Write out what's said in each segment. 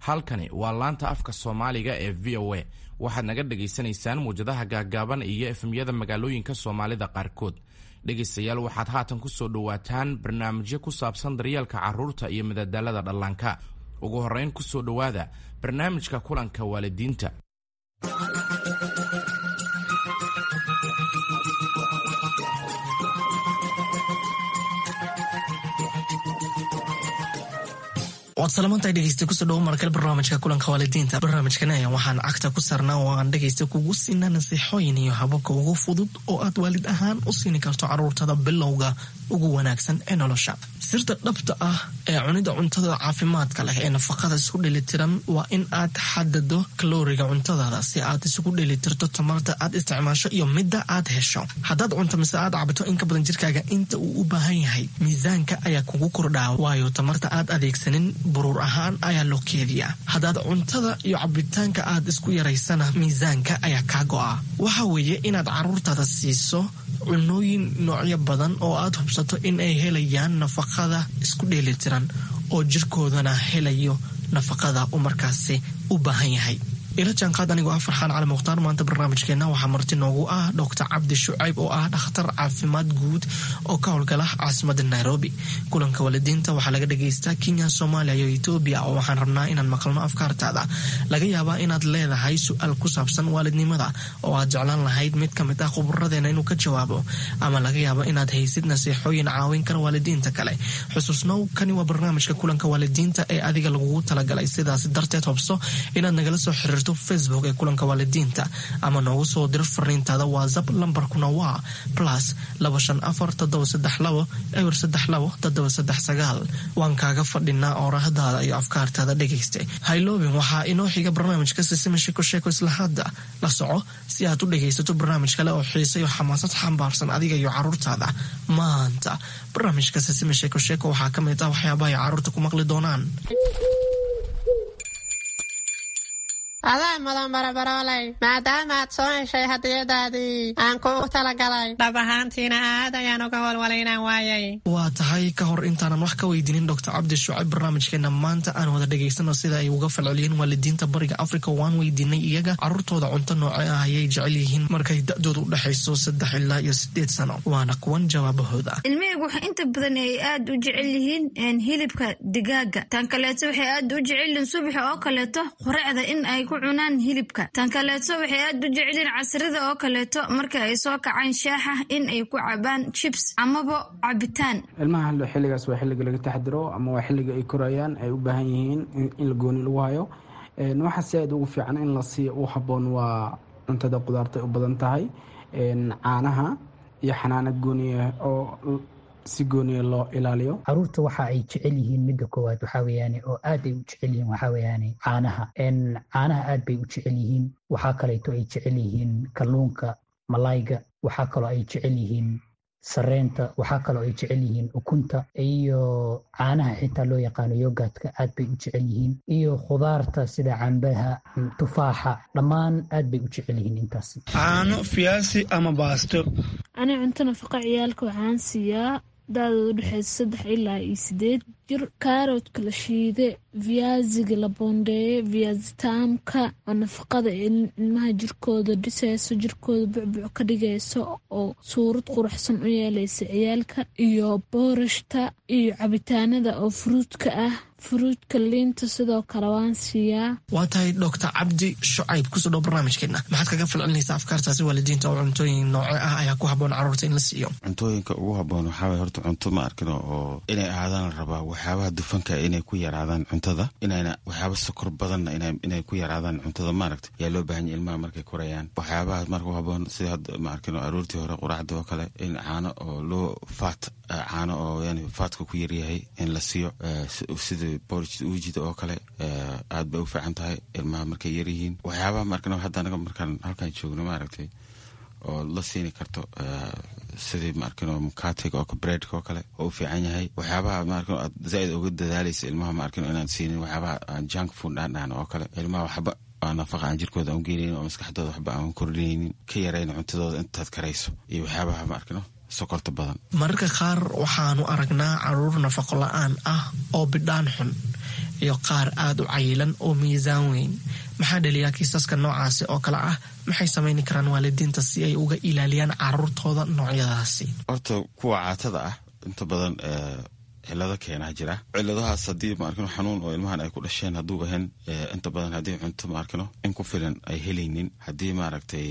Halkani waa laanta afka Soomaaliga ee VOA. Waxaad naga dhagaysanaysaan muwjadaha gaaggaaban iyo FM-yada magaalooyinka Soomaalida qaarkood. Dhegaystayaal, waxaad haatan ku soo dhowaataan barnaamijyo ku saabsan daryeelka carruurta iyo madadaalada dhallaanka. Ugu horrayn, ku soo dhowaada barnaamijka kulanka waalidiinta. Waad salamantahay, dhegeysta. Kusoo dhawo markale barnaamijka kulanka waalidiinta. Barnaamijkan ayaa waxaan cagta ku saarnaa oo aan dhegeysta kugu siinaa nasiixooyin iyo hababka ugu fudud oo aad waalid ahaan u siini karto caruurtada bilowga ugu wanaagsan ee nolosha. Sirta dhabta ah ee cunida cuntada caafimaadka leh ee nafaqada isku dheelitiran waa in aad xadado kalooriga cuntadaada si aad isugu dheelitirto tamarta aad isticmaasho iyo midda aad hesho. Haddaad cunto mise aad cabto in ka badan jirkaaga inta uu u baahan yahay, miisaanka ayaa kugu kordhaa, waayo tamarta aad adeegsanin buruur ahaan ayaa loo keediyaa. Haddaad cuntada iyo cabitaanka aad isku yaraysana, miisaanka ayaa kaa go'a. Waxa weeye inaad caruurtaada siiso cunooyin noocyo badan oo aad hubsato in ay helayaan nafaqada isku dheelitiran oo jirkoodana helayo nafaqada uu markaasi u baahan yahay. Ila jaanqaad anigoo ah Farxaan Cali Mukhtaar. Maanta barnaamijkeenna waxaa marti noogu ah Doctor Cabdi Shucayb oo ah dhakhtar caafimaad guud oo ka howlgala caasimada Nairobi. Kulanka waalidiinta waxaa laga dhagaystaa Kenya, Soomaaliya iyo Etoobiya, oo waxaan rabnaa inaan maqalno afkaartaada. Laga yaabaa inaad leedahay su-aal ku saabsan waalidnimada oo aad jeclaan lahayd mid ka mid ah khuburadeena inuu ka jawaabo, ama laga yaabo inaad haysid nasiixooyin caawin kara waalidiinta kale. Xusuusnow, kani waa barnaamijka kulanka waalidiinta ee adiga lagugu talagalay. Sidaas darteed hobso inaad nagala soo xiriirto Facebook ee kulanka waalidiinta ama noogu soo diro fariintaada WhatsApp. Lambarkuna waa +254 732 032 739. Waan kaaga fadhinaa oorahdaada iyo afkaartaada, dhegayste. Hayloobin, waxaa inoo xiga barnaamijka Sisima Sheeko Sheeko. Isla hadda la soco si aad u dhegaysato barnaamij kale oo xiise iyo xamaasad xambaarsan adiga iyo caruurtaada. Maanta barnaamijka Sisima Sheeko Sheeko waxaa ka mid ah waxyaabaha ay caruurta ku maqli doonaan. Adaa mudan, barabarooley, maadaama aad soo heshay hadiyadaadii aan kuugu talagalay. Dhab ahaantiina aad ayaan uga walwalay inaan waayay. Waa tahay. Ka hor intaanan wax ka weydiinin Doctor Cabdi Shucayb barnaamijkeena maanta, aan wada dhegaysano sida ay uga falceliyeen waalidiinta Bariga Africa. Waan weydiinay iyaga caruurtooda cunto nooce ah ayay jecel yihiin markay da-dooda u dhexayso 3 ilaa iyo 8 sano. Waana kuwan jawaabahooda. Ilmahaygu waxa inta badan ay aad u jecel yihiin hilibka digaaga. Tan kaleeto, waxay aad u jecel yihiin subaxa oo kaleeto quracda in ay ku cunaan hilibka. Tan kaleeto, waxay aad u jecelyihiin casrida oo kaleeto marka ay soo kacaan shaaxa in ay ku cabaan chips amaba cabitaan. Ilmaha xilligaas waa xilliga laga taxdiro ama waa xilliga ay korayaan, ay u baahan yihiin in la gooni lagu hayo. Waxa si aad ugu fiican in la siiyo u habboon waa cuntada qudaarta u badan tahay, caanaha iyo xanaano gooniya oo si gooniya loo ilaaliyo. Caruurta waxa ay jecel yihiin, midda koowaad waxaa weeyaane oo aad ay u jecel yihiin, waxaa weeyaane caanaha. Caanaha aad bay u jecel yihiin. Waxaa kaleeto ay jecel yihiin kalluunka, malayga. Waxaa kaloo ay jecel yihiin sareenta. Waxaa kaloo ay jecel yihiin ukunta iyo caanaha xitaa loo yaqaano yogurtka, aad bay u jecel yihiin, iyo khudaarta sida cambaha, tufaaxa, dhammaan aad bay u jecel yihiin intaas. Caano, fiyaasi ama baasto. Ani cunto nafaqa ciyaalka waxaan siiyaa da-dooda udhexeysa 3 ilaa iyo 8 jir kaaroodka la shiide, viaziga la boondeeye, viazitaamka oo nafaqada ilmaha jirkooda dhiseyso, jirkooda bucbuc ka dhigayso oo suurad quruxsan u yeeleysa ciyaalka, iyo boorashta iyo cabitaanada oo fruitka ah, fruitka, liinta sidoo kale waan siiyaa. Waa tahay. Doctor Cabdi Shucayb, kusoo dhow barnaamijkeena. Maxaad kaga falcelinaysaa afkaartaasi waalidiinta oo cuntooyin nooce ah ayaa ku habboon carruurta in la siiyo? Cuntooyinka ugu habboon waxaa waye horta cunto, ma arkin, oo inay ahaadaan la rabaa waxyaabaha dufanka inay ku yaraadaan cuntada, inayna waxyaaba sokor badanna inay ku yaraadaan cuntada, maaragta, yaa loo baahan yahay ilmaha markay korayaan. Waxyaabaha marka u habboon sida hadda, ma arkin, oo aroortii hore quraacda oo kale in caano oo loo faat, caano oo yani faatka ku yaryahay in la siiyo, sida porridge uujida oo kale, aad bay u fiican tahay ilmaha markay yaryihiin. Waxyaabaha, ma arkin, hadda anaga markaan halkaan joogno, maaragtay, oo la siini karto sidii, ma arkin, mukatiga oo breadka oo kale oo u fiican yahay. Waxyaabaha, ma arkin, aad zaaid uga dadaalaysa ilmaha, ma arkin, inaan siinin waxyaabaha aan junk food dhaan oo kale. Ilmaha waxba aan nafaqa aan jirkooda aan u geenaynin oo maskaxdooda waxba aan kordhinaynin, ka yarayn cuntadooda intaad karayso, iyo waxyaabaha, ma arkino, sokorta badan. Mararka qaar waxaanu aragnaa caruur nafaqo la-aan ah oo bidhaan xun. iyo qaar aada u cayilan oo miisaan weyn. Maxaa dhaliyaa kiisaska noocaasi oo kale ah? Maxay samayni karaan waalidiinta si ay uga ilaaliyaan caruurtooda noocyadaasi? Horta kuwa caatada ah inta badan cilado keenaa jira. Ciladahaas haddii maarkino xanuun oo ilmahan ay ku dhasheen hadduu ahayn, inta badan haddii cunto maarkino in ku filan ay helaynin, haddii maaragtay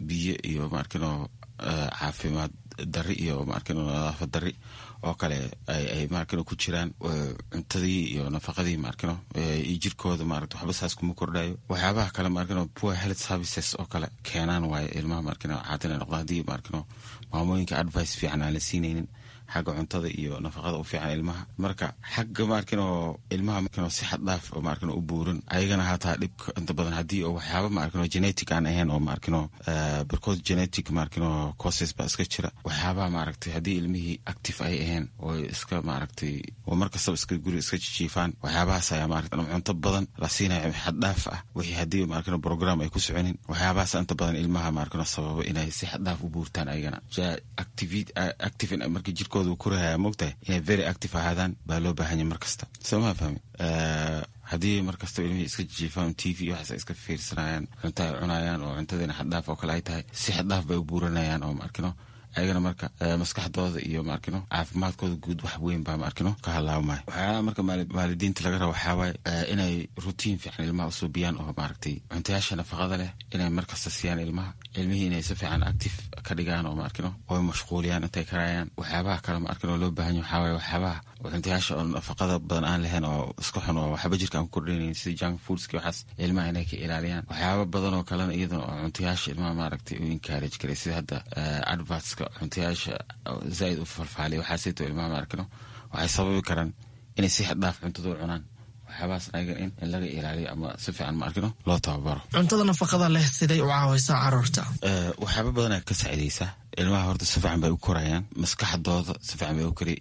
biyo iyo maarkino caafimaad dari iyo maarkino nadaafad dari oo kale ay maarkino ku jiraan cuntadii iyo nafaqadii maarkino iyo jirkooda maaragta waxba saas kuma kordhayo. Waxyaabaha kale maarkino poor health services oo kale keenaan waayo ilmaha maarkino caatina noqda haddii maarkino maamooyinka advice fiican aan la siinaynin xagga cuntada iyo nafaqada u fiican ilmaha. Marka xagga maarkino ilmaha maarkino si xad dhaaf oo maarkino u buuran ayagana hataa dhibka inta badan haddii oo waxyaaba maarkino genetic aan ahayn oo maarkino barkood genetic maarkino causes baa iska jira. Waxyaabaha maaragtay haddii ilmihii active ay ahayn oo iska maaragtay oo markastaba iska guri iska jijiifaan, waxyaabahaas ayaa maaragtay cunto badan la siinayo xad dhaaf ah wixii haddii maarkino program ay ku soconin, waxyaabahaas inta badan ilmaha maarkino sababa inay si xad dhaaf u buurtaan ayagana. Active marka jirkooda korahaya moogtahay inay very active ahaadaan baa loo baahanya mar kasta, soo maa fahmi? Haddii mar kastaba ilmihii iska jijiifaan, TV waxaas ay iska fiirsanayaan, cunto ay cunayaan oo cuntadiina xaddhaaf oo kale ay tahay, si xaddhaaf bay u buuranayaan oo maarkino ayagana marka maskaxdooda iyo maarkino caafimaadkooda guud wax weyn baa maarkino ka halaabmaya. Waxyaalaha marka waalidiinta laga rabo waxaa waaye inay rutiin fiican ilmaha usuubiyaan oo maaragtay cuntayaasha nafaqada leh inay markasta siiyaan ilmaha, ilmihii inay si fiican active ka dhigaan oo maarkino oo mashquuliyaan intay karayaan. Waxyaabaha kale maarkino loo baahan yahay waxaa waaye waxyaabaha cuntayaasha oo nafaqada badan aan lahayn oo iska xun oo waxba jirka aan ku kordhinaynin sida junk foodski, waxaas ilmaha inay ka ilaaliyaan. Waxyaaba badan oo kalena iyadana oo cuntayaasha ilmaha maaragtay u encourage karay sida hadda advertska cuntayaasha zaaid u falfaaliya, waxaasito ilmaha maarkino waxay sababi karaan inay si xad dhaaf cuntada u cunaan. Waxyaabahaas ayaga in laga ilaaliyo ama si fiican maarkino loo tababaro. Cuntada nafaqada leh siday u caawaysaa caruurta? Waxyaaba badanaa ka saacidaysaa ilmaha. Horta si fiican bay u korayaan, maskaxdooda si fiican bay u kori,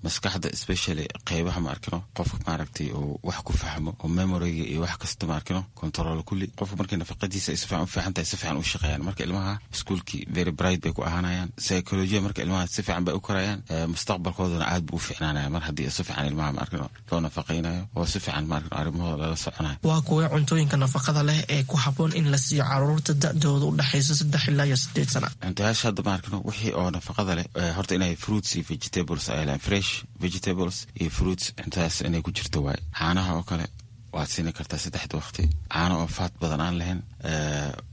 maskaxda especially qeybaha maarkino qofka maaragtay uu wax ku fahmo oo memoryga iyo wax kasta maarkino control kulli. Qofka markii nafaqadiisa ay si fiican u fiican tahay, si fiican u shaqeeyaan. Marka ilmaha iskuulkii very bright bay ku ahaanayaan, psychology marka ilmaha si fiican bay u korayaan, mustaqbalkoodana aad buu u fiicnaanaya mar haddii si fiican ilmaha maarkino loo nafaqaynayo oo si fiican maarkino arrimahooda lala soconayo. Waa kuwee cuntooyinka nafaqada leh ee ku habboon in la siiyo caruurta da'dooda u dhexaysa 3 ilaa iyo 8 sana? Cuntayaasha hadda maarkino wixii oo nafaqada leh horta inay fruits iyo vegetables ay lehan, fresh vegetables iyo fruits cuntadaas inay ku jirto waaye. Caanaha oo kale waad siini kartaa saddexda waqti, caano oo faat badan aan lahayn.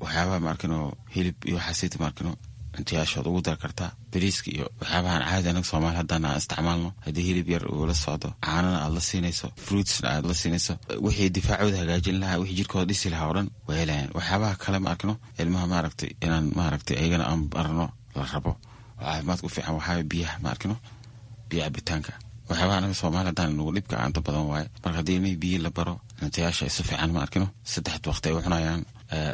Waxyaabaha maarkino hilib iyo waxaasita maarkino cuntayaashood ugu dar kartaa, bariiska iyo waxyaabahan caadi anaga Soomaali haddana aan isticmaalno. Haddii hilib yar uu la socdo, caanana aad la siinayso, fruitsna aad la siinayso, wixii difaacooda hagaajin lahaa, wixii jirkooda dhisi lahaa oo dhan way helayaan. Waxyaabaha kale ma arkino ilmaha maaragtay inaan maaragtay ayagana aan barno la rabo oo caafimaadka u fiican waxaa biyaha maarkino, biyo cabitaanka. Waxyaabaha anaga Soomaali haddaan nagu dhibka inta badan waaye. Marka haddii ilmihii biyo la baro, cuntayaasha ay si fiican ma arkino saddexda waqti ay u cunayaan,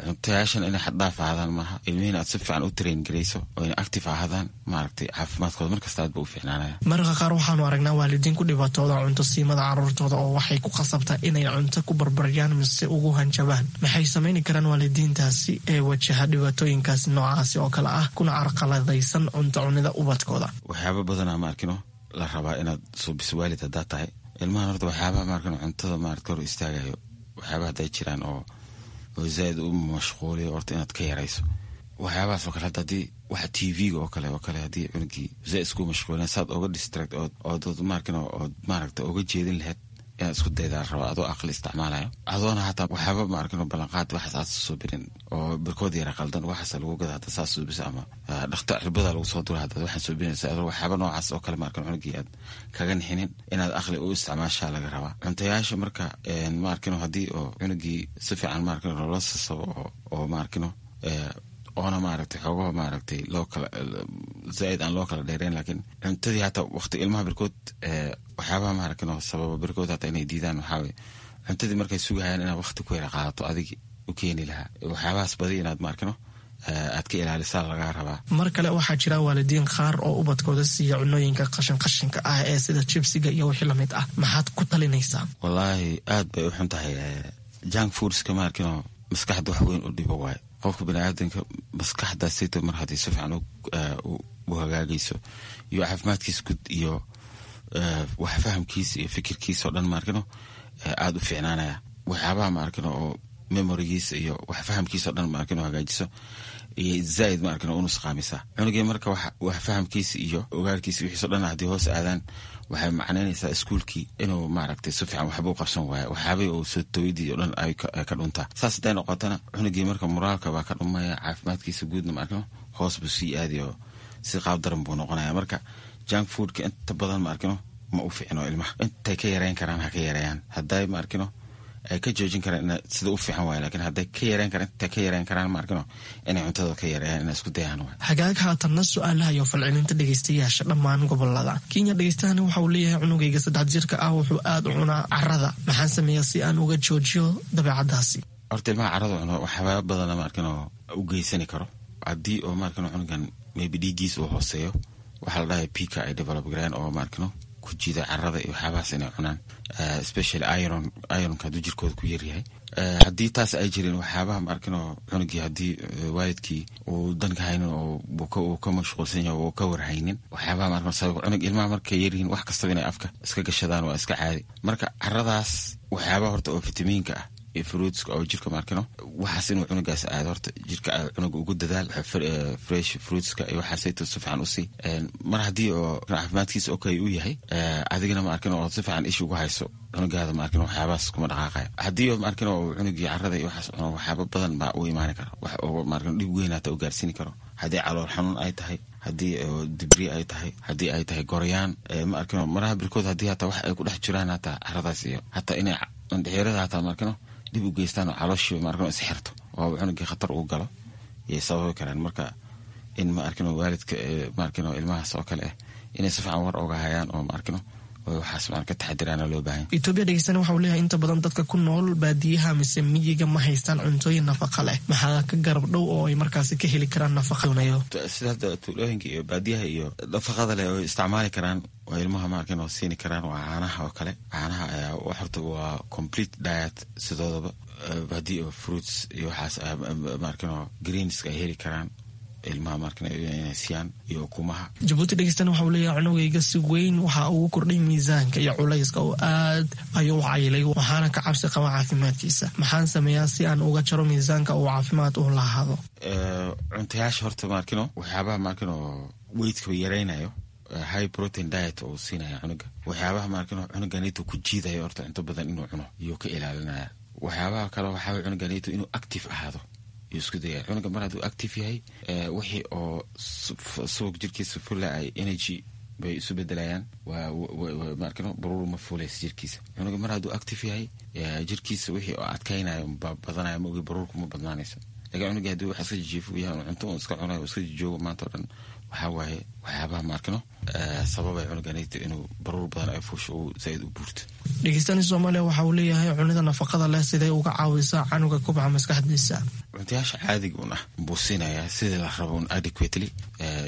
cuntayaashan inay xaddhaaf ahaadaan maaha, ilmihiina aad si fiican u train garayso oo inay active ahaadaan, maaragtay caafimaadkooda markasta aad ba u fiicnaanaya. Mararka qaar waxaanu aragnaa waalidiin ku dhibaatooda cunto siimada caruurtooda oo waxay ku khasabtaa inay cunto ku barbaryaan mise ugu hanjabaan. Maxay samayni karaan waalidiintaasi ee wajaha dhibaatooyinkaasi noocaasi oo kale ah kuna carqaladaysan cunto cunida ubadkooda? Waxyaaba badanaa ma arkino la rabaa inaad suubiso waalid haddaa tahay ilmahan. Horta waxyaabaha maarkino cuntada maarata hor istaagayo, waxyaabaha hadday jiraan oo zaaid u mashquuliyo, horta inaad ka yarayso waxyaabahaas oo kale. Hadda haddii waxa TV-ga oo kale haddii cunugii zaaid isku mashquulina, saad oga distract ood maarkino ood maaragta oga jeedin lahayd inaad isku daydaa rabaa adoo aqli isticmaalayo, adoona hataa waxyaaba maarkino ballanqaad waxaas aad suubirin oo barkood yara qaldan waxaas lagu gada hadda saas suubisa ama dhakta cirbada lagu soo dura haddaad waxaan suubinaysa adoo waxyaaba noocaas oo kale maarkino cunugii aad kaga nixinin, inaad aqli u isticmaashaa laga rabaa cuntayaasha. Marka maarkino haddii oo cunugii si fiican maarkino loola sasabo oo maarkino oona maaragtay xoogaha maaragtay loo kala zaaid aan loo kala dheereyn, laakiin cuntadii hataa waqti ilmaha barkood waxyaabaha maaragtay sababa barkood hataa inay diidaan waxaa waye cuntadii markay sugahayaan inaad waqti ku yara qaadato adig u keeni lahaa. Waxyaabahaas badi inaad maarkino aad ka ilaalisaa lagaa rabaa. Mar kale waxaa jira waalidiin qaar oo ubadkooda siiya cunooyinka qashin qashinka ah ee sida jibsiga iyo wixii lamid ah. Maxaad ku talinaysaa? Wallaahi aad bay u xun tahay junk foodska maarkino, maskaxda wax weyn u dhibo waaye. Qofka baniaadanka maskaxdaasito mar haddii si fiican u hagaagayso iyo caafimaadkiisa guud iyo wax fahamkiisa iyo fikirkiisa oo dhan maarkino aada u fiicnaanaya. Waxyaabaha ma arkino oo memorigiisa iyo wax fahamkiisa o dhan ma arkino hagaajiso iyo zaaid ma arkino u nusqaamisaa cunugii. Marka wax fahamkiisa iyo ogaalkiisa wixiiso dhan haddii hoos aadaan, waxay macnaynaysaa iskuulkii inuu maaragtay si fiican waxba u qabsan waayo, waxyaabihii uu soo tawidii o dhan ay ka dhuntaa. Saas hadday noqotana, cunugii marka moraalka baa ka dhumaya, caafimaadkiisa guudna ma arkino hoos buu sii aadi oo si qaab daran buu noqonaya. Marka junk foodka inta badan ma arkino ma u fiicno ilmaha. Intay ka yareyn karaan ha ka yareeyaan, hadday ma arkino ay ka joojin karaan sida u fiican waay, lakin hadday ka yareyn karaan, intay ka yareyn karaan ma arkino inay cuntada ka yareeyaan, inay isku dayaan waay. Hagaag, haatanna su-aalaha iyo falcelinta dhegeystayaasha dhammaan gobolada Kenya. Dhegeystahani waxa uu leeyahay: cunugayga 3 jirka ah wuxuu aada u cunaa carada, maxaan sameeyaa si aan uga joojiyo dabeecadaasi? Horta ilmaha carada cuno waxyaaba badana ma arkino u geysani karo. Haddii oo ma arkino cunugan maybe dhiiggiisa uu hooseeyo, waxaa la dhahay pica ay develop gareen oo ma arkino ku jiida carada iyo waxyaabahaas inay cunaan, especially iron. Ironka hadduu jirkooda ku yaryahay, haddii taas ay jirin, waxyaabaha ma arkino cunugii haddii waalidkii uu danka haynin oo uu ka mashquulsan yahay oo ka warhaynin, waxyaabaha ma arkino sabab cunug ilmaha markay yaryihiin wax kastaba inay afka iska gashadaan waa iska caadi. Marka caradaas waxyaabaha horta oo fitamiinka ah iyo fruitska oo jirka ma arkino waxaas inuu cunugaas aado, horta jirka cunuga ugu dadaal fresh fruitska iyo waxaasayto si fiican usii. Mar haddii oo caafimaadkiisa okay uu yahay, adigana ma arkino oo si fiican ish ugu hayso cunugaada, ma arkino waxyaabahaas kuma dhaqaaqaya. Haddii oo ma arkino oo cunugii carada iyo waxaas cuno, waxyaaba badan baa u imaani kara, wax oo ma arkino dhib weyn hata u gaarsiini karo. Haddii calool xanuun ay tahay, haddii dibri ay tahay, haddii ay tahay goryaan, ma arkino maraha birkood haddii hataa wax ay ku dhex jiraan hataa caradaas iyo hataa inay indhexirada hataa ma arkino dhib u geystaan oo calooshii ma arkino isxirto oo cunugii khatar ugu galo yay sababi karaan. Marka in ma arkino waalidka ma arkino ilmahaas oo kale ah inay si fiican war oga hayaan oo ma arkino waxaas maan ka taxadiraana loo baahan. Etoobiya dhegeystana waxa uu leeyahay: inta badan dadka ku nool baadiyaha mise miyiga ma haystaan cuntooyin nafaqa leh, maxaa ka garab dhow oo ay markaasi ka heli karaan nafaqadonayo? Sida hadda tuulooyinka iyo baadiyaha iyo nafaqada leh oo isticmaali karaan oo ilmaha ma arkin oo siini karaan waa caanaha oo kale. Caanaha ayaa horta waa complete diet sidoodaba. Haddii oo fruits iyo waxaas ma arkin oo greenska ay heli karaan ilmaha markan inay siiyaan iyo ukumaha. Jabuuti dhegeystana waxa uu leeyahay: cunugayga si weyn waxa ugu kordhay miisaanka iyo culayska oo aad ayuu u cayilay, waxaana ka cabsi qaba caafimaadkiisa. Maxaan sameeyaa si aan uga jaro miisaanka uu caafimaad u lahaado? Cuntayaasha horta maarkino waxyaabaha maarkino weightka yaraynayo, high protein diet oo siinaya cunuga, waxyaabaha maarkino cunuganito ku jiidayo horta cunto badan inuu cuno iyuu ka ilaalinaya. Waxyaabaha kale waxaa cunuganito inuu active ahaado yuu isku dayaya. Cunuga mar hadduu active yahay, wixii oo subag jirkiisa fula ay energy bay isu bedelayaan, maarkino baruur ma fuulaysa jirkiisa. Cunuga mar hadduu active yahay, jirkiisa wixii oo adkaynayo ba badanaya, ma ogi baruurku ma badnaanayso. Lakin cunuga haddii wax iska jijiifo yahay, cunto uu iska cunayo, iska jijoogo maanta o dhan, waxaa waaye waxyaabaha maarkino sababay cunuganayta inuu baruur badan ay fuusho uu zaaid u buurto. Dhegeystani Soomaaliya waxa uu leeyahay: cunida nafaqada leh sidee uga caawisaa canuga kubca maskaxdiisa? Cuntayaasha caadiga un ah buu siinayaa sidii la rabo un adequately,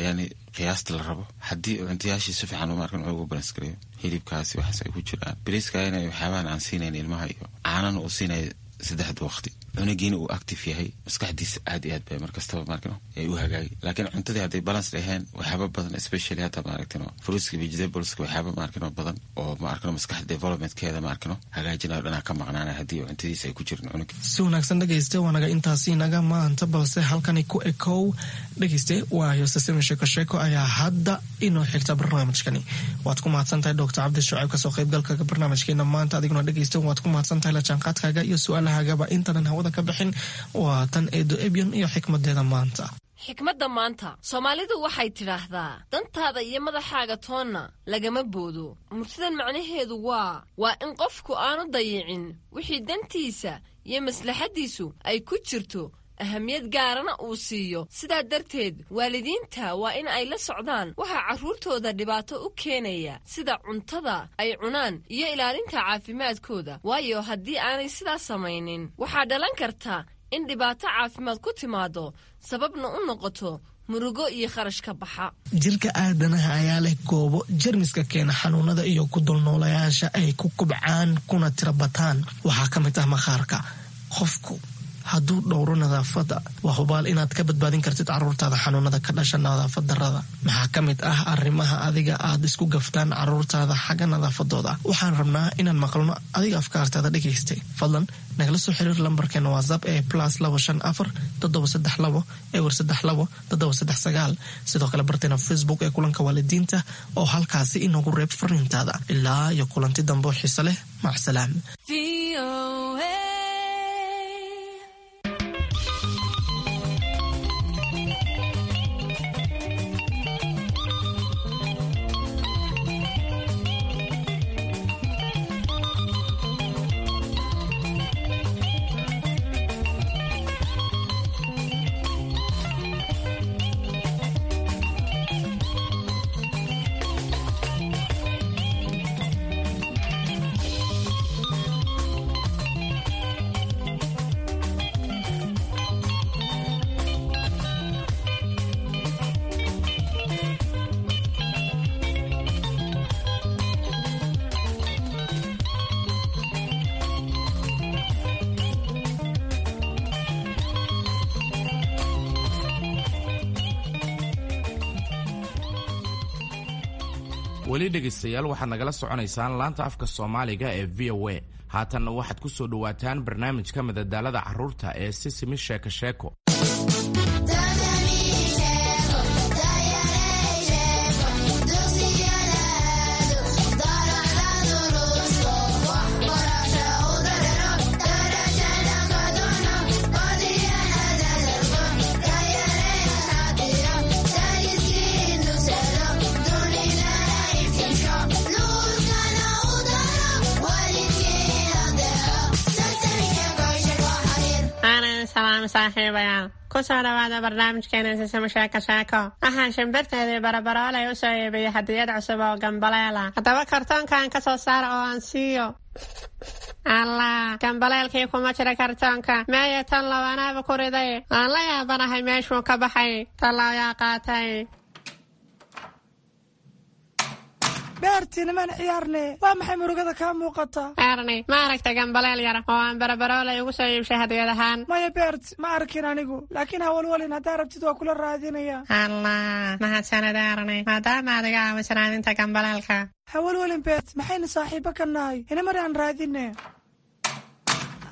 yani qiyaasta la rabo. Haddii cuntayaashii si fiican maarkan cunuga u balance gareeyo, hilibkaasi waxaas ay ku jiraan, bariiska ina waxyaabahan aan siinayn ilmaha iyo caanana uu siinaya saddexda waqti, cunugiina uu active yahay, maskaxdiisa aad iyo aad bay markastaba maarkino ay u hagaagi. Laakiin cuntadii hadday balance dhaheen, waxyaaba badan, especially hadda maaragtino fruitska, vegetables-ka, waxyaaba maarkino badan oo maarkino maskaxda developmentkeeda maarkino hagaajinayo dhanaa ka maqnaanaya haddii cuntadiisa ay ku jirin cunuga. Si wanaagsan dhegeyste, waa naga intaasi naga maanta, balse halkani ku ekow dhegeyste, waayo sasimi sheeko sheeko ayaa hadda inoo xigta barnaamijkani. Waad ku mahadsantahay Doctor Cabdi Shucayb kasoo qaybgalka barnaamijkeena maanta. Adiguna dhegeyste waad ku mahadsantahay la jaanqaadkaaga iyo su-aalahagaba. Intanan hawada ka bixin, waa tan Eedo Ebyon iyo xikmadeeda maanta. Xikmadda maanta, Soomaalidu waxay tidhaahdaa: dantaada iyo madaxaaga toonna lagama boodo. Murtidan macnaheedu waa in qofku aanu dayicin wixii dantiisa iyo maslaxaddiisu ay ku jirto, ahamiyad gaarana uu siiyo. Sidaa darteed waalidiinta waa in ay la socdaan waxaa carruurtooda dhibaato u keenaya, sida cuntada ay cunaan iyo ilaalinta caafimaadkooda, waayo haddii aanay sidaas samaynin waxaa dhalan karta in dhibaato caafimaad ku timaado, sababna u noqoto murugo iyo kharash ka baxa. Jirka aadanaha ayaa leh goobo jermiska keena xanuunada iyo ku dulnoolayaasha ay ku kubcaan kuna tirabataan. Waxaa ka mid ah maqaarka. Qofku hadduu dhowro nadaafadda, waa hubaal inaad ka badbaadin kartid caruurtaada xanuunada ka dhasha nadaafad darada. Maxaa ka mid ah arrimaha adiga aad isku gaftaan caruurtaada xagga nadaafadooda? Waxaan rabnaa inaan maqalno adiga afkaartaada dhegaystay. Fadlan nagala soo xiriir lambarkeena WhatsApp ee +254 732 032 739. Sidoo kale barteena Facebook ee Kulanka Waalidiinta oo halkaasi inoogu reeb fariintaada. Ilaa iyo kulanti dambe oo xiise leh, macsalaam. Weli dhegaystayaal, waxaad nagala soconaysaan laanta afka Soomaaliga ee VOA. Haatanna waxaad ku soo dhowaataan barnaamijka madadaalada carruurta ee Sisimi Sheeko Sheeko. Aanan salaam saaxiibayaal, kusoo dhawaada barnaamijkeena Sisimo Sheeko Sheeko. Waxaan shimbirteedii Barabaroolay u soo iibiyey hadiyad cusub oo gambaleela. Haddaba kartoonkan ka soo saara oo aan siiyo. Allah, gambaleelkii kuma jira kartoonka. Meeye tan lawanaaba ku riday? Aan la yaabanahay meeshuu ka baxay. Tallaayaa qaatay. Beerti, nimaan ciyaarne. Waa maxay murugada kaa muuqata? Erni, ma aragta gambaleel yar oo aan Barabaroolay ugu soo iibshay hadiyad ahaan? Maya Beert, ma arkin anigu, laakiin hawalwalin, haddaa rabtid waa kula raadinaya. Allah, mahadsanid Erni, maadaama aad iga caawiso raadinta gambaleelka. Hawalwalin Beert, maxaynu saaxiibo ka nahay? Inamar aan raadine.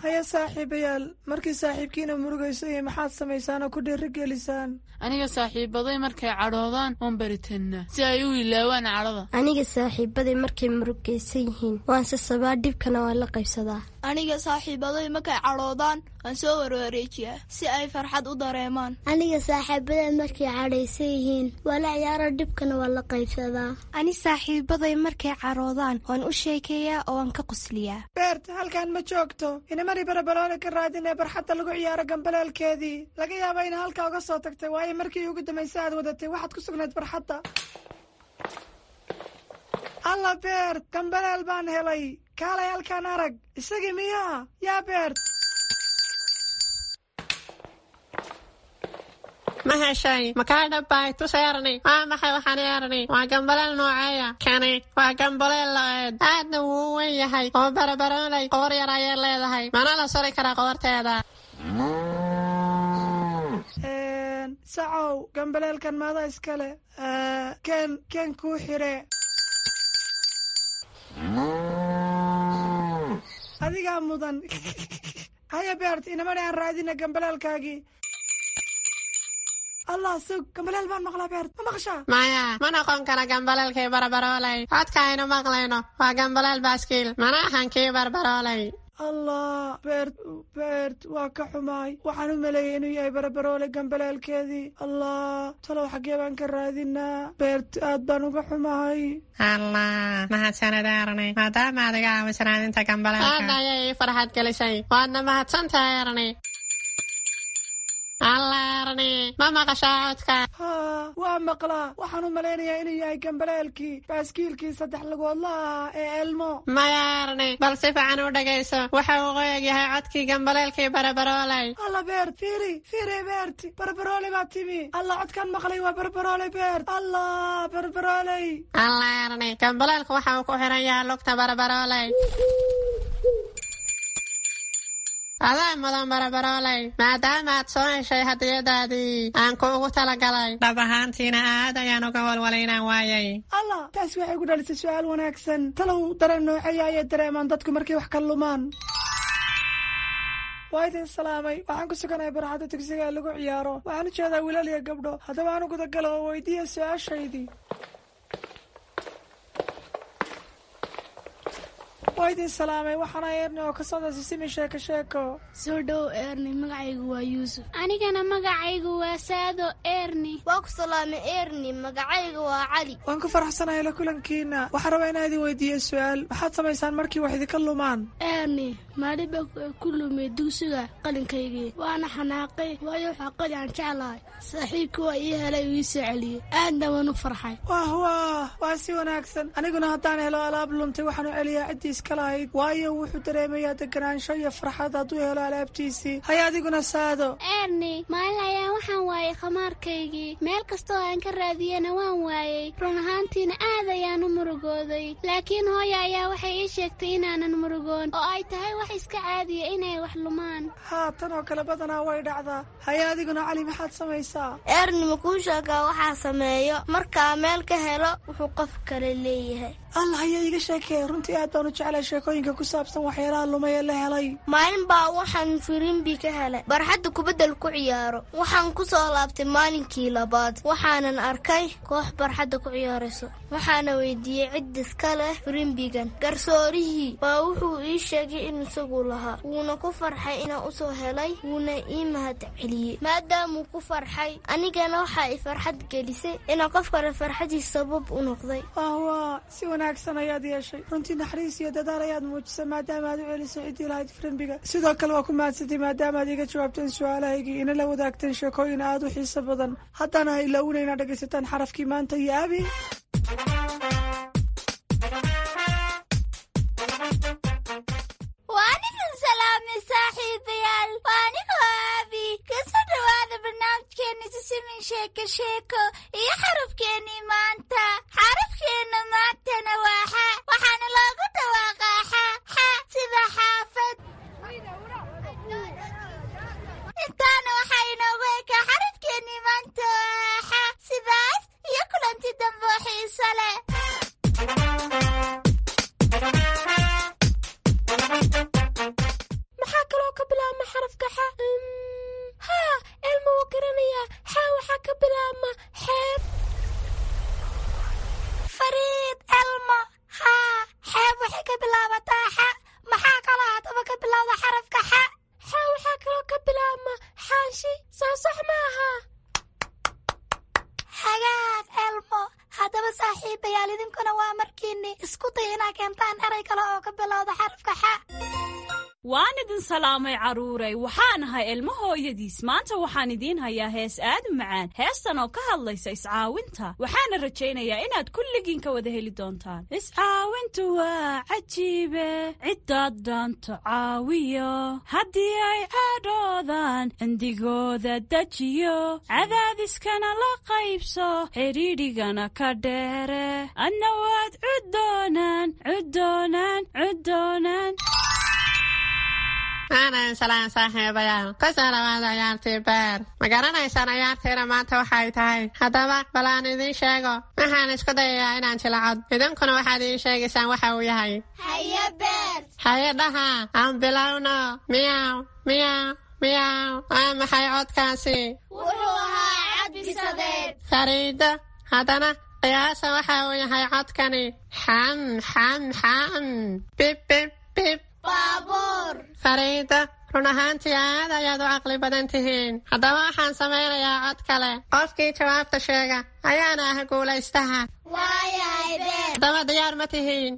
Haya saaxiibayaal, markii saaxiibkiina murugayso iyo maxaad samaysaan oo ku dhiirigelisaan? Aniga saaxiibaday markay cadhoodaan waan baritannaa si ay u ilaawaan cadhada. Aniga saaxiibaday markay murugaysan yihiin waan sasabaa, dhibkana waan la qaybsadaa. Aniga saaxiibaday markay cadhoodaan waan soo warwareejiyaa si ay farxad u dareemaan. Aniga saaxiibaday markay cadhaysan yihiin waa la ciyaaro, dhibkana waan la qaybsadaa. Ani saaxiibaday markay cadhoodaan waan u sheekeeyaa oo waan ka qosliyaa. Beert, halkan ma joogto. Inamari Barabaroole ka raadinee barxadda lagu ciyaaro gambaleelkeedii. Laga yaaba ina halkaa uga soo tagtay, waayo markii ugu dambaysa aad wadatay waxaad ku sugnayd barxadda. Alla Beert, gambaleel baan helay. Kaalay halkaan arag. Isagii miyaa yaa Beert? Ma heshay? Makaa dhabbay? Tus Erni. Waa maxay waxaan Erni? Waa gambaleel nooceeya kani? Waa gambaleel la-eed, aadna wuu u weyn yahay oo Barabaroolay qoor yar ayay leedahay, mana la suri karaa qoorteeda. Sacow, gambaleelkan maada iskale? Ken ken kuu xire. Adigaa mudan. Haya Beert, inamani aan raadina gambaleelkaagii. Allah, sug, gambaleel baan maqlaa. Beert, ma maqashaa? Maya, ma noqon kara gambaleelkii Barabaroolay. Codka aynu maqlayno waa gambaleel baaskiil, mana ahan kii Barbaroolay. Allah Beert, Beert, waa ka xumaay. Waxaan u maleeyay inuu yahay Barabaroole gambaleelkeedii. Allah, talow xaggee baan ka raadinaa? Beert, aad baan uga xumahay. Allah, mahadsanid Erni, maadaama aad iga caawiso raadinta gambaleelka. Aad ayay ii farxad gelisay, waadna mahadsantahay Erni. Allah Erni, ma maqashaa codka? Haa, waa maqlaa. Waxaan u malaynayaa inuu yahay gambaleelkii baaskiilkii saddex lugoodlaha ee Elmo. Maya Erni, bal si fiican u dhegayso. Waxa uu qoyag yahay codkii gambaleelkii Barabaroolay. Alla Beert, fiiri fiiri. Beert, Barabaroole baa timi. Allah, codkaan maqlay waa Barabaroole. Beert, Allah, Barabarooley. Allah Erni, gambaleelku waxa uu ku xiran yahay lugta Barabaroolay. Adaa mudan barabarooley, maadaama aad soo heshay hadiyadaadii aan kuugu talagalay. Dhab ahaantiina aad ayaan uga walwalay inaan waayay. Allah, taasi waxay ku dhalisay su'aal wanaagsan. Talow dareen nooceeya ayay dareemaan dadku markay wax ka lumaan? Waa idin salaamay. Waxaan ku suganahay barxadda dugsiga ee lagu ciyaaro. Waxaan u jeedaa wiilal iyo gabdho. Haddaba aan u gudagalo oo weydiiya su-aashaydii. Waa idin salaamay, waxaana Eerni oo ka socda Sisimi Sheeko Sheeko. Soo dhow Eerni, magacaygu waa Yuusuf. Anigana magacaygu waa Saado Eerni. Waa ku salaamay Eerni, magacayga waa Cali. Waan ku faraxsanahay la kulankiina. Waxaan rabaa inaan idin weydiiyo su-aal. Maxaad samaysaan markii wax idinka lumaan? Eerni, maalin baa ku lumay dugsiga qalinkaygii, waana xanaaqay, waayo waxaa qali aan jeclahay. Saaxiibkii waa ii helay uu ii soo celiyey, aadna waan u farxay. Wah wah, waa si wanaagsan. Aniguna haddaan helo alaab luntay, waxaan u celiyaa ciddii iska lahayd, waayo wuxuu dareemayaa deganaansho iyo farxad hadduu helo alaabtiisii. Hay adiguna Saado. Eerni, maalin ayaan waxaan waayay khamaarkaygii. Meel kastoo aan ka raadiyena waan waayey. Run ahaantiina aad ayaan u murugooday, laakiin hooya ayaa waxay ii sheegtay inaanan murugoon oo ay tahay wax iska caadiya inay wax lumaan. Haa, tan oo kale badanaa way dhacdaa. Haye adiguna Cali, maxaad samaysaa? Eerni, ma kuu sheegaa waxaa sameeyo markaa meel ka helo wuxuu qof kale leeyahay? Allah, haya iiga sheekee. Runtii aad baan u jeclay sheekooyinka ku saabsan waxyaalaha lumay ee la helay. Maalin baa waxaan firimbi ka helay barxadda kubaddal ku ciyaaro. Waxaan ku soo laabtay maalinkii labaad, waxaanan arkay koox barxadda ku ciyaarayso. Waxaana weydiiyey cid iska leh firimbigan. Garsoorihii baa wuxuu ii sheegay in isagu lahaa, wuuna ku farxay inaan usoo helay, wuuna ii mahad celiyey. Maadaamuu ku farxay, anigana waxaa i farxad gelisay inaan qof kale farxadiis sabab u noqday. Wah, si wanaagsan ayaad yeeshay. Runtii naxariis iyo dadaal ayaad muujisay maadaama aad u celisay ciddii lahayd firimbiga. Sidoo kale waa ku mahadsantay maadaama aad iga jawaabteen su-aalahaygii, ina la wadaagteen sheekooyin aad u xiiso badan. Haddana ha ilaawina inaad dhegaysataan xarafkii maanta iyo Abi. Waan idin salaamay saaxiibayaal, waa anigoo Aabi. Kasoo dhowaada barnaamijkeena Sisimin Sheeko Sheeko iyo xarafkeennii maanta. Xarafkeenna maantana waa xa, waxaana loogu dhawaaqaa xa xa, sida xaafad. Intaana waxaa inoogu ekaa xarafkeennii maanta oo xa. Sidaas iyo kulanti dambe oo xiiso leh. Maxaa kaloo ka bilaabma xarafka xa? Haa, Elma wuu garanayaa. Xa waxaa ka bilaabma xeeb. Fariid, Elmo, haa, xeeb waxay ka bilaabataa xa. Maxaa kaloo haddaba ka bilowda xarafka xa? Xa waxaa kaloo ka bilaabma xaashi, soo sax maaha? Hagaag Elmo. Haddaba saaxiibayaal, idinkuna waa markiinni isku day inaa keentaan eray kale oo ka bilowda xarafka xa. Waan idin salaamay carruuray, waxaan ahay Ilmo hooyadiis. Maanta waxaan idiin hayaa hees aad u macaan, heestan oo ka hadlaysa iscaawinta. Waxaana rajaynayaa inaad kulligiin ka wada heli doontaan. Iscaawintu waa cajiibe, ciddaad dhaanto caawiyo, haddii ay cadhoodaan cindigooda dejiyo, cadaadiskana la qaybso, xidhiidhigana ka dheere, adna waad cuddoonaan cuddoonaan cuddoonaan. Aanan salaan saaxiibayaal, kusoo dhawaada ciyaartii beer. Ma garanaysaan ciyaartiina maanta waxay tahay? Haddaba bal aan idiin sheego. Waxaan isku dayayaa inaan jilacod, idinkuna waxaad ii sheegaysaan waxa uu yahay. Haye Beer. Haye dhaha, aan bilowno. Miyaw miyaw miyaw, waa maxay codkaasi? Wuxuu ahaa cad bisadeed. Fariido, haddana qiyaasa waxa uu yahay codkani. Xam xam xam, bib bib bib. Baabuur. Fariida, run ahaantii aad ayaad u caqli badan tihiin. Haddaba waxaan samaynayaa cod kale. Qofkii jawaabta sheega ayaana ah guulaystaha. Waayahay Beer. Haddaba diyaar ma tihiin?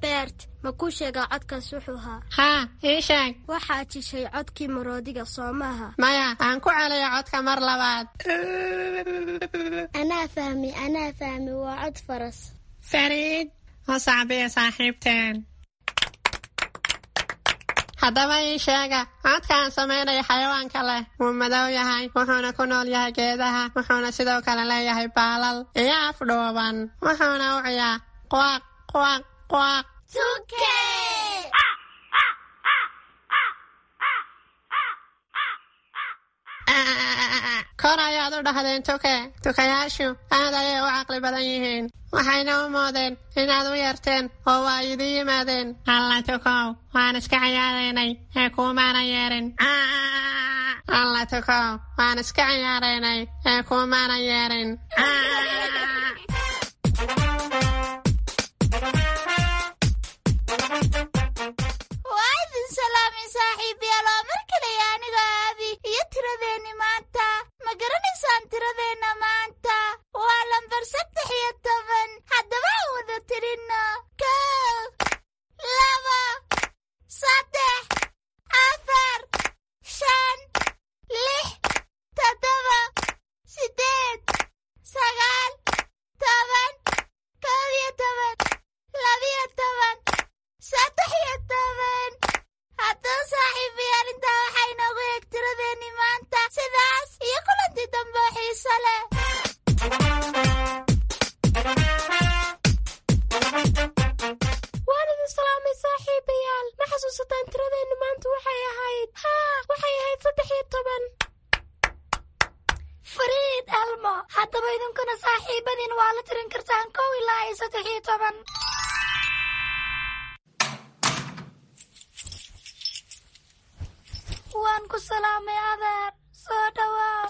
Beert, ma kuu sheegaa codkaas wuxuu ahaa? Haa, ii sheeg. Waxaad jishay codkii maroodiga, soo maaha? Maya, aan ku celiyo codka mar labaad. Anaa fahmi, anaa fahmi, waa cod faras. Fariid, oo sacbiya saaxiibteen. Haddaba ii sheega codka aan samaynayo xayawaanka leh. Wuu madow yahay, wuxuuna ku nool yahay geedaha, wuxuuna sidoo kale leeyahay baalal iyo af dhuuban, wuxuuna u ciyaa quaq quaq quaq. Tuke. Kor ayaad u dhahdeen tuke. Tukayaashu aad ayay u caqli badan yihiin, waxayna u moodeen inaad u yeerteen oo waa idin yimaadeen. Alla tukow, waan iska ciyaaraynay ee kuumaana yeerin. Alla tukow, waan iska ciyaaraynay ee kuumaana yeerin. Waa idin salaamay saaxiibayaal, oo mar kale aniga Aabi iyo tiradeenni maanta. Ma garanaysaan tiradeenna maanta? Waa lambar 13. Haddaba aan wada tirinno: 1, 2, 3, 4, 5, 6, 7, 8, 9, 10, 11, 12, 13. Haddaba saaxiibayaal, intaa waxaa inoogu eeg tiradeenni maanta. Sidaas iyo kulantii dambe oo xiiso leh. Waan idin salaamay saaxiibayaal. Ma xasuusataan tiradeennu maanta waxay ahayd? Haa, waxay ahayd 13. Fariid, Elmo, haddaba idinkuna saaxiibadiin waa la tirin kartaan 1 ilaa iyo 13. Waan ku salaamay adeer, soo dhawaa.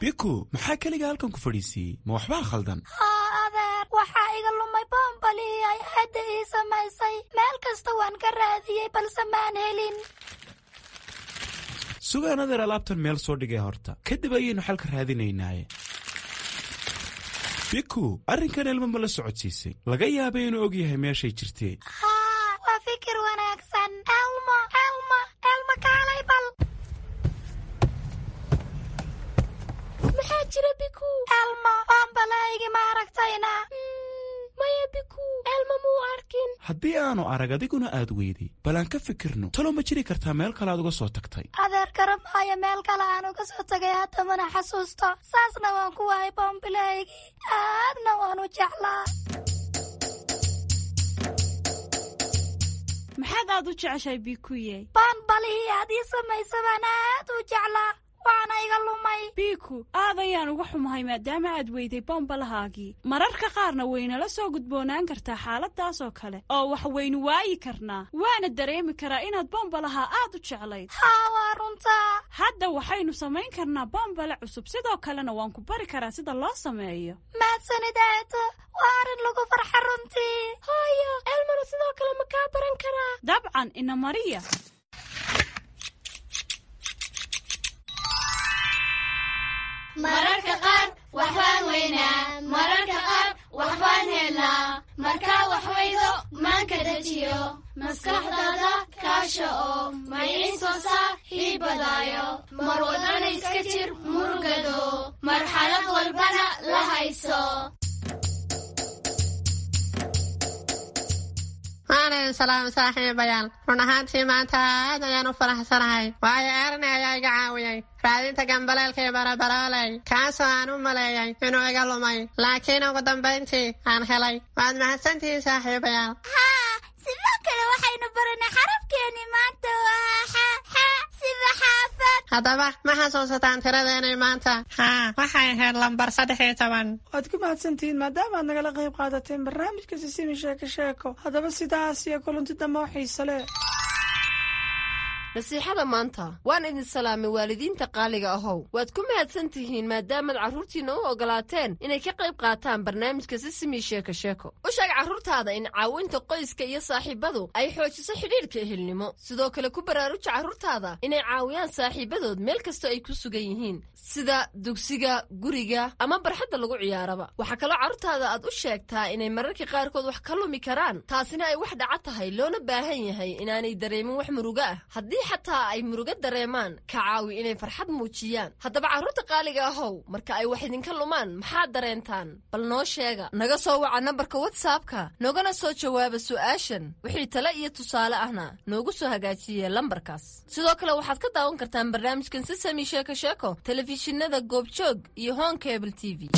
Biku, maxaa keliga halkan ku fadhiisiiyey? Ma waxbaa khaldan? Haa adeer, waxaa iga lumay boombalihii ay aadda ii samaysay. Meel kasta waan ka raadiyey, balse maan helin. Sugaan adeer, alaabtan meel soo dhigay horta, kadib ayaynu xalka raadinaynaaye. Biku, arrinkan Elmo ma la socodsiisay? Laga yaabay inuu og yahay meeshay jirtee. Haa, waa fikir wanaagsan. Elmo, Elmo, Elmo, kaalay bal. Maxaa jira, Biku? Elmo, boombalahaygi ma aragtayna? Maya Biku, Elmo muu arkin. Haddii aanu arag, adiguna aad weyday, bal aan ka fikirno. Talo ma jiri kartaa meel kale aad uga soo tagtay? Adeer, garamaayo meel kale aan uga soo tagay, haddamana xasuusto. Saasna waan ku waayay boombilahaygii, aadna waan u jeclaa. Maxaad aad u jeceshahay, Bikuye? Boonbalihii aad ii samaysa baan aad u jeclaa, waana iga lumay. Biku, aad ayaan uga xumahay maadaama aad weyday bombalahaagii. Mararka qaarna waynala soo gudboonaan kartaa xaaladaas oo kale oo wax waynu waayi karnaa, waana dareemi karaa inaad bombalaha aad u jeclayd. Haa, waa runtaa. Hadda waxaynu samayn karnaa bombale cusub, sidoo kalena waan ku bari karaa sida loo sameeyo. Mahadsanid aato, waa arrin lagu farxa runtii. Hooyo, Elmona sidoo kale ma kaa baran karaa? Dabcan, ina mariya. Mararka qaar waxbaan weynaa, mararka qaar waxbaan helnaa. Markaa wax weydo, maanka dejiyo, maskaxdaada kaasha oo mayciin soo saar hiibadaayo. Mar walbana iska jir murugado, marxalad walbana la hayso. Waan idin salaamay saaxiibayaal. Run ahaantii maanta aad ayaan u faraxsanahay, waayo Erne ayaa iga caawiyey raadinta gambaleelkii barabarooley, kaasoo aan u maleeyay inuu iga lumay, laakiin ugu dambayntii aan helay. Waad mahadsantihiin saaxiibayaal. Haa, sidoo kale waxaynu baranay xarafkeeni maanta waa xa, xa sida xaafad. Haddaba ma xasuusataan tiradeenay maanta? Haa, waxay ahayd lambar 13. Waad ku mahadsantihiin maadaama aad nagala qayb qaadateen barnaamijka Sisimi Sheeko Sheeko. Haddaba sidaas iyo kulanti dambe oo xiise leh. Nasiixada maanta. Waan idin salaamay waalidiinta qaaliga ahow. Waad ku mahadsan tihiin maadaamaad carruurtiinna u ogolaateen inay ka qayb qaataan barnaamijka Sisimi Sheeko Sheeko. U sheeg carruurtaada in caawinta qoyska iyo saaxiibadu ay xoojiso xidhiidhka ehelnimo. Sidoo kale ku baraaruja carruurtaada inay caawiyaan saaxiibadood meel kastoo ay ku sugan yihiin, sida dugsiga, guriga ama barxadda lagu ciyaaraba. Waxaa kaloo carruurtaada aad u sheegtaa inay mararka qaarkood wax ka lumi karaan, taasina ay wax dhaca tahay, loona baahan yahay inaanay dareemin wax murugo ah. Haddii xataa ay murugo dareemaan, ka caawi inay farxad muujiyaan. Haddaba carruurta qaaliga ahow, marka ay wax idinka lumaan maxaad dareentaan? Bal noo sheega. Naga soo waca nambarka WhatsAppka, noogana soo jawaaba su'aashan. Wixii tale iyo tusaale ahna noogu soo hagaajiye lambarkaas. Sidoo kale waxaad ka daawan kartaan barnaamijkan Sisami Sheeko Sheeko telefishinada Goobjoog iyo Horn Cable TV.